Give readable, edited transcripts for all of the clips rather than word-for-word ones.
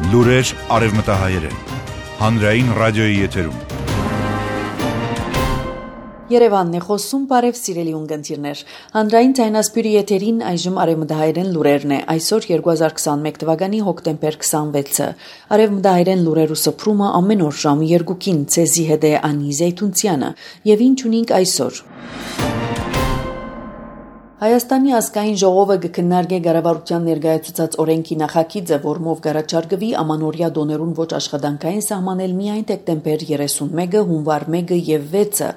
Լուրեր արևմտահայերեն, հանրային ռադիոյի եթերում։ Երևանն է խոսում, բարև սիրելի ունկնդիրներ։ Հանրային ձայնասպյուրի եթերին այժմ արևմտահայերեն լուրերն է։ Այսօր 2021 թվականի հոկտեմբեր 26-ը։ Արևմտահայերեն լուրերու սփռումը ամեն օր ժամը 2-ին ցեզի հետ է Անի Զեյթունցյանը։ Եվ ինչ ունենք այսօր։ Հայաստանի ազգային ժողովը կքննարկի կառավարության ներկայացուցած օրենքի նախագիծը, որմով կառաջարկվի ամանորյա դոներուն ոչ աշխատանքային սահմանել միայն դեկտեմբեր 31-ը, հունվար 1-ը եւ 6-ը։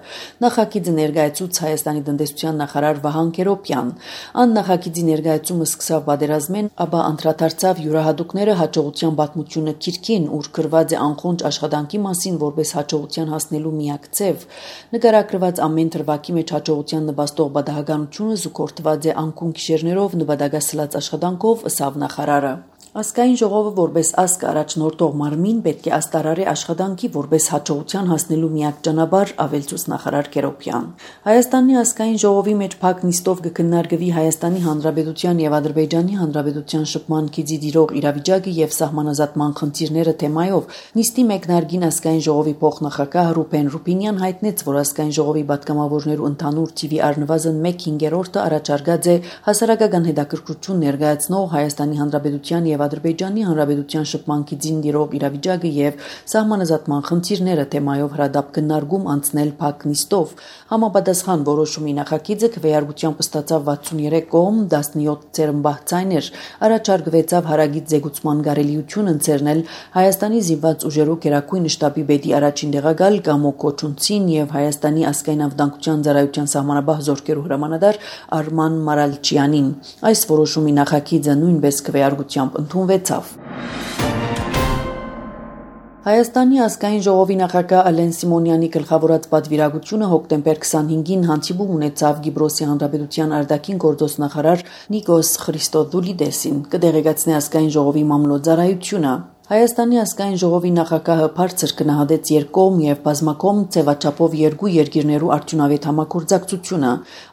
Նախագիծը ներկայացուց Հայաստանի տնտեսության նախարար Վահան Քերոբյան։ Ան նախագիծի ներկայացումը սկսավ պատերազմեն, ապա անդրադարձավ յուրահատուկները հաջողության պատմությունը քիրքին, ուր գրված է անխոնջ աշխատանքի մասին, որպես հաջողության հասնելու միակ ձև։ Նկարագրված ամեն թրվակի մեջ հաջողության նպաստող բադահականությունը զուգորդված է անկուն գիշերներով նպատակասլաց աշխատանքով, ըսավ նախարարը։ Ազգային ժողովը որպես ազգ առաջնորդող մարմին պետք է աստարարի աշխատանքի որպես հաջողության հասնելու միակ ճանապարհ, ավելցուց նախարար Քերոբյան։ Հայաստանի ազգային ժողովի մեջ փակ նիստով կքննարկվի Հայաստանի Հանրապետության եւ Ադրբեջանի Հանրապետության շփման գիծի դիրող իրավիճակը եւ սահմանազատման խնդիրները թեմայով։ Նիստի մեկնարկին ազգային ժողովի փոխնախագահ Ռուբեն Ռուբինյան հայտնեց, որ ազգային ժողովի պատգամավորներու ընդհանուր թիվի առնվազն 1/5-ը առաջարկած է հասարակական հետաքրքրություն ներկայացնող Հայաստանի Հանրապետության եւ Ադրբեջանի Հանրապետության շփման գիծին դիրող իրավիճակը եւ սահմանազատման խնդիրները թեմայով հրադապ քննարկում անցնել փակ նիստով։ Համապատասխան որոշումի նախագիծը քվեարկությամբ ստացավ 63 կողմ, 17 ցերմբահ ցայներ, առաջարկվեցավ հարագից զեկուցման կարելիություն ընձեռնել Հայաստանի զինված ուժերու գերագույն շտաբի պետի առաջին տեղակալ Կամո Կոչունցին եւ Հայաստանի ազգային անվտանգության ծառայության սահմանապահ զորքերու հրամանատար Արման Մարալչյանին։ Այս որոշումի նախագիծը նույնպես քվեարկությամբ ընդունվեցավ։ Հայաստանի ազգային ժողովի նախագահ Ալեն Սիմոնյանի գլխավորած պատվիրակությունը հոկտեմբեր 25-ին հանդիպում ունեցավ Կիպրոսի Հանրապետության արտաքին գործոս նախարար Նիկոս Խրիստոդուլիդեսին, կդեղեկացնի ազգային ժողովի մամլոյցարայությունը։ Հայաստանի ազգային ժողովի նախագահը բարձր գնահատեց երկկողմ եւ բազմակողմ ձևաչափով երկու երկիրներու արդյունավետ համագործակցությունը։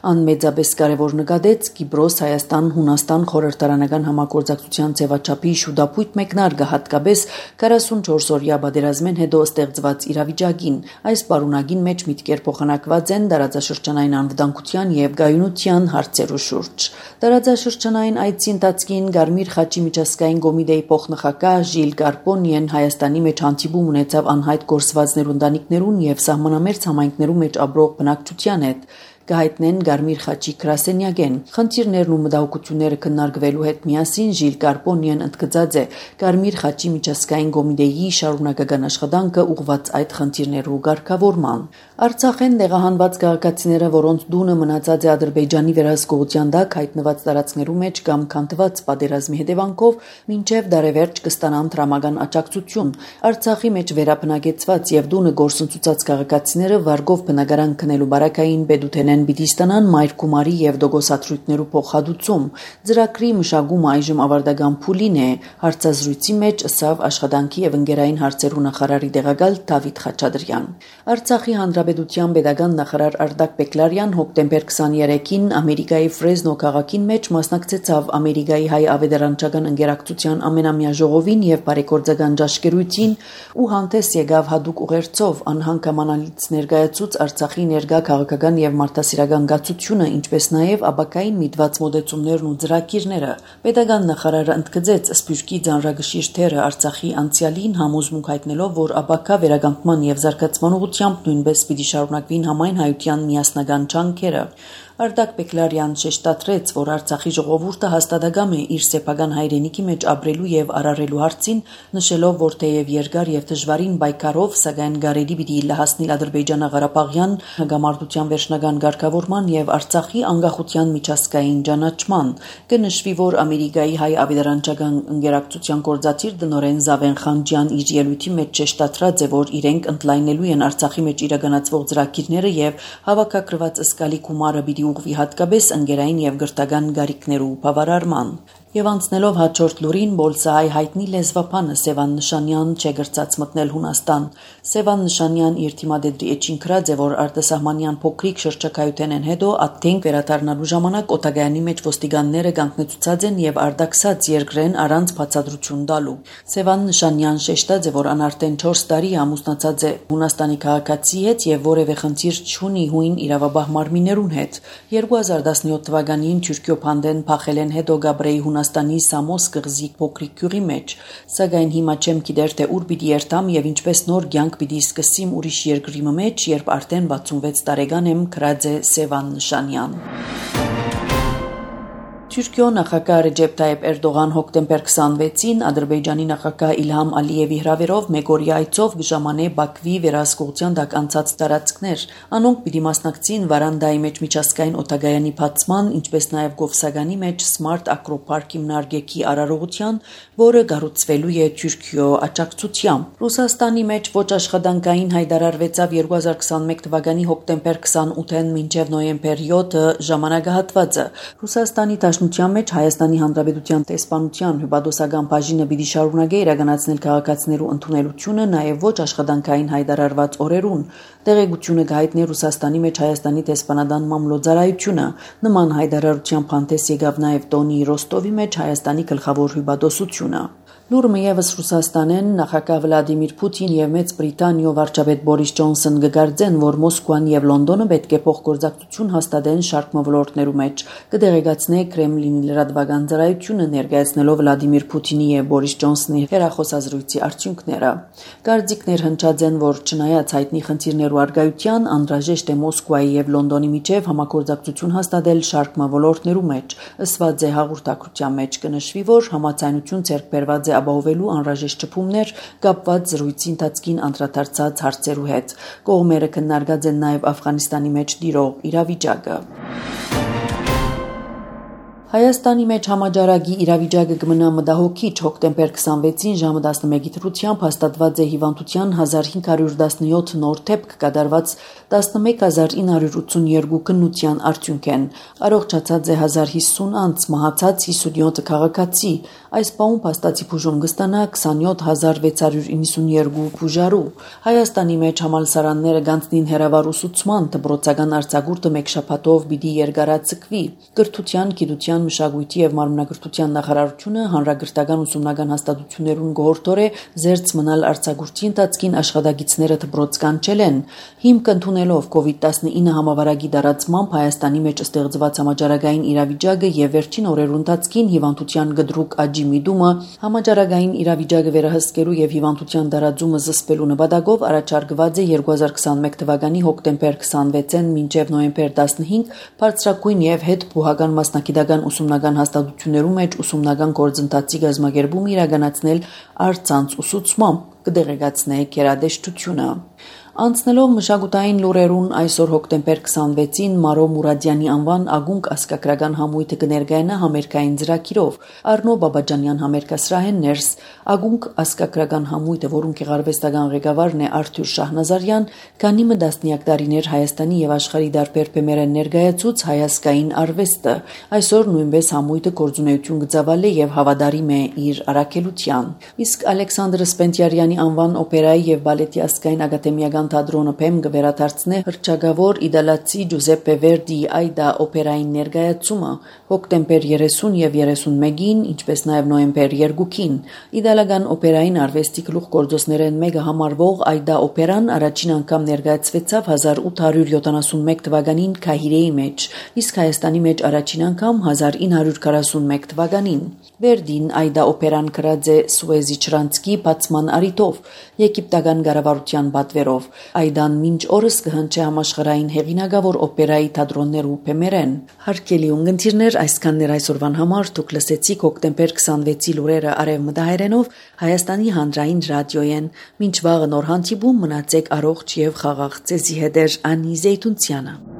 Ան մեծապես կարևոր նկատեց Կիպրոս, Հայաստան, Հունաստան խորհրդարանական համագործակցության ձևաչափի շուտապույտ մեկնարկը, հատկապես 44-օրյա պատերազմեն հետո ստեղծված իրավիճակին։ Այս պարունակին մեջ միտքեր փոխանակված են տարածաշրջանային անվտանգության եւ գայունության հարցերու շուրջ։ Տարածաշրջանային այցի ընթացքին Գարմիր խաչի միջազգային կոմիտեի փոխնախագահ Ժիլ Կարպոնիեն Հայաստանի մեջ հանդիպում ունեցավ անհայտ գործվածներու ընտանիքներուն եւ սահմանամերձ համայնքներու մեջ ապրող բնակչության հետ։ Կհայտնեն Գարմիր խաչի գրասենյակեն։ Խնդիրներն ու մտահոգությունները քննարկվելու հետ միասին Ժիլ Կարպոնիեն ընդգծած է Գարմիր խաչի միջազգային կոմիտեի շարունակական աշխատանքը ուղղված այդ խնդիրներու ղեկավարման։ Արցախեն տեղահանված քաղաքացիները, որոնց դունը մնացած է Ադրբեջանի վերահսկողության տակ հայտնված տարածքներու մեջ կամ քանդված պատերազմի հետևանքով, մինչև դարևերջ կստանան տրամական աջակցություն։ Արցախի մեջ վերաբնակեցված եւ դունը գործընծուցած քաղաքացիները վարգով բնակարան քնելու բարակային պետութենեն պիտի ստանան մայր գումարի եւ դոգոսատրույթներու փոխհատուցում։ Ծրագրի մշակումը այժմ ավարտական փուլին է, հարցազրույցի մեջ ըսավ աշխատանքի եւ ընկերային հարցերու նախարարի տեղակալ Դավիթ Խաչատրյան։ Արցախի Հանրապետության պետական նախարար Արտակ Բեկլարյան հոկտեմբեր 23-ին Ամերիկայի Ֆրեզնո քաղաքին մեջ մասնակցեցավ Ամերիկայի հայ ավետարանչական ընկերակցության ամենամյա ժողովին եւ բարեգործական ճաշկերույթին ու հանդես եկավ հadoop ուղերձով անհանգամանալից ներկայացուց Արցախի ներկա քաղաքական եւ մարդասիրական գացությունը, ինչպես նաեւ ապակային միտված մոդեցումներն ու ծրագիրները։ Պետական նախարարը ընդգծեց Սփյուռքի ծանրագշիր թերը Արցախի անցյալին համոզմունք հայտնելով, որ ապակա վերականգնման եւ զարգացման ուղղությամբ նույնպես պիտի շարունակվին համայն հայության միասնական ջանքերը։ Արտակ Բեկլարյան շեշտադրեց, որ Արցախի ժողովուրդը հաստատակամ է իր սեփական հայրենիքի մեջ ապրելու եւ արարելու հարցին, նշելով, որ թեև երկար եւ դժվարին պայքարով, սակայն գարելի պիտի լահասնել Ադրբեջանա-Ղարաբաղյան հակամարտության վերջնական ղեկավարման եւ Արցախի անկախության միջազգային ճանաչման։ Կնշվի, որ Ամերիկայի հայ ավետարանչական ընկերակցության գործադիր տնօրեն Զավեն Խանջյան իր ելույթի մեջ շեշտադրած է, որ իրենք ընդլայնելու են Արցախի մեջ իրականացվող ծրագիրները եւ հավաքագրված ըսկալի գումարը պիտի ուղղվի հատկապես ընկերային եւ գրթական գարիքներու բավարարման։ Եվ անցնելով հաջորդ լուրին, Բոլսահայ հայտնի լեզվապանը Սևան Նշանյան չեգրծած մտնել Հունաստան։ Սևան Նշանյան իր թիմադեդրի էջին քրած է, որ արտասահմանյան փոքրիկ շրջակայութեն են հետո ատենք վերադառնալու ժամանակ Օտագայանի մեջ ոստիկանները գանքնեցուցած են եւ արդաքսած երկրեն առանց բացատրություն տալու։ Սևան Նշանյան շեշտած է, որ անարտեն 4 տարի ամուսնացած է Հունաստանի քաղաքացի հետ եւ որևէ խնդիր չունի հույն իրավաբահ մարմիններուն հետ։ 2017 թվականին Թուրքիո փանդեն փախել են հետո Գաբրեի Հունաստանի Սամոս կղզի փոքրիկ գյուղի մեջ, սակայն հիմա չեմ գիտեր թե ուր պիտի երթամ եւ ինչպես նոր կյանք պիտի սկսեմ ուրիշ երկրի մեջ, երբ արդեն 66 տարեկան եմ, քրած է Սևան Նշանյան։ Թուրքիո նախագահ Ռեջեփ Թայիփ Էրդողան հոկտեմբեր 26-ին Ադրբեջանի նախագահ Իլհամ Ալիևի հրավերով մեգօրյա այցով կժամանե Բաքվի վերահսկողության տակ անցած տարածքներ։ Անոնք պիտի մասնակցին Վարանդայի մեջ միջազգային օտագայանի բացման, ինչպես նաև Գովսագանի մեջ Smart Acro-Park հիմնարկեքի արարողության, որը կառուցվելու է Թուրքիո աջակցությամբ։ Ռուսաստանի մեջ ոչ աշխատանքային հայտարարվեցավ 2021 թվականի հոկտեմբեր 28-ին մինչև նոյեմբեր 7-ը ժամանակահատվածը։ Ռուսաստանի Դաշնության մեջ Հայաստանի Հանրապետության տեսփանության հյուպատոսական բաժինը պիտի շարունակի իրականացնել քաղաքացիներու ընդունելությունը նաև ոչ աշխատանքային հայտարարված օրերուն։ Տեղեկությունը կհայտնի Ռուսաստանի մեջ Հայաստանի տեսփանադան մամլոյցարայությունը։ Նման հայտարարության փանթես եկավ նաև տոնի Ռոստովի մեջ Հայաստանի գլխավոր հյուպատոսությունը։ Լուրը եւս Ռուսաստանեն նախագահ Վլադիմիր Պուտին եւ Մեծ Բրիտանիո վարչապետ Բորիս Ջոնսոն կգարձեն, որ Մոսկվան եւ Լոնդոնը պետք է փոխգործակցություն հաստատեն շարք ոլորտներու մեջ։ Կդեղեկացնե Կրեմլինի լրատվական ծառայությունը ներկայացնելով Վլադիմիր Պուտինի եւ Բորիս Ջոնսոնի հեռախոսազրույցի արդյունքները։ Կարծիքներ հնչած են, որ չնայած հայտնի խնդիրներու արգայության, անհրաժեշտ է Մոսկվայի եւ Լոնդոնի միջև համագործակցություն հաստատել շարք ոլորտներու մեջ։ Ըսված է հաղորդակցության մեջ կնշվի, որ համաձայնություն ձեռք բերված է ապահովելու անհրաժեշտ ճպումներ կապված զրույցի ընթացքին անդրադարձած հարցերու հետ։ Կողմերը քննարկած են նաև Աֆղանիստանի մեջ տիրող իրավիճակը։ Հայաստանի մեջ համաճարակի իրավիճակը կմնա մտահոգիչ հոկտեմբեր 26-ին ժամը 11-ի դրությամբ հաստատված է հիվանդության 1517 նոր դեպք կատարված 11982 քննության արդյունքեն։ Առողջացած է 1050 անձ, մահացած 57 քաղաքացի։ Այս պահում փաստացի բուժում կստանա 27692 բուժարու։ Հայաստանի մեջ համալսարանները գանցնին հերավար ուսուցման, դպրոցական արձակուրդը մեկ շաբաթով պիտի երկարացկվի։ Կրթության, գիտության, մշակույթի եւ մարմնագրթության նախարարությունը հանրագրթական ուսումնական հաստատություններուն գողորտորե զերծ մնալ արձակուրդի ընթացքին աշխատագիցները դպրոց կանչելեն։ Հիմք ընդունելով COVID-19 համավարակի դարացմամբ Հայաստանի մեջ ստեղծված համաճարակային իրավիճակը եւ վերջին օրերու ընթացքին հիվանդության գդրուկ աճի միտումը համաճարակային իրավիճակը վերահսկելու եւ հիվանդության դարաձումը զսպելու նպատակով առաջարկված է 2021 թվականի հոկտեմբեր 26-ին մինչև նոյեմբեր 15 բարձրակույն եւ հետ բուհական մասնակիտական ուսումնական հաստատություններու մեջ ուսումնական գործընթացի գազմագերբում իրականացնել առցանց ուսուցմամբ կդեղեկացնե գերադեշտությունը։ Անցնելով մշակութային լուրերուն այսօր հոկտեմբեր 26-ին Մարո Մուրադյանի անվան ագունք ասկակրական համույթը կներկայանա համերգային ծրագիրով։ Արնո Բաբաջանյան համերգասրահեն ներս ագունք ասկակրական համույթը, որում գեղարվեստական ղեկավարն է Արթուր Շահնազարյան, քանի մը տասնյակ տարիներ Հայաստանի եւ աշխարհի դարբեր բեմերեն ներկայացուց հայասկային արվեստը։ Այսօր նույնպես համույթը գործունեություն կծավալի եւ հավատարիմ է իր առաքելության։ Իսկ Ալեքսանդր Սպենտիարյանի անվան օպերայի եւ բալետի ասկային ակադեմիական թատրոնը փեմ կվերադարձնե հռչակավոր իդալացի Ջուզեպպե Վերդիի Այդա օպերային ներկայացումը հոկտեմբեր 30 եւ 31-ին, ինչպես նաեւ նոյեմբեր 2-ին։ Իդալական օպերային արվեստի գլուխ գործոսներեն մեկը համարվող Այդա օպերան առաջին անգամ ներկայացվեցավ 1871 թվականին Քահիրեի մեջ, իսկ Հայաստանի մեջ առաջին անգամ 1941 թվականին։ Վերդին Այդա օպերան գրած է Սուեզի Չրանցկի բացման առիթով, եգիպտական կառավարության պատվերով։ Այդան մինչ օրս կհնչի համաշխարհային հեղինակավոր օպերայի թատրոններու բեմերեն։ Հարգելի ունգընտիրներ, այսքաններ այսօրվան համար դուք լսեցիք հոկտեմբեր 26-ի լուրերը արևմտահայերենով Հայաստանի հանրային ռադիոյեն։ Մինչ վաղը նոր հանդիպում մնացեք առողջ եւ խաղաղ ձեզի հետ Անի Զեյթունցյանը։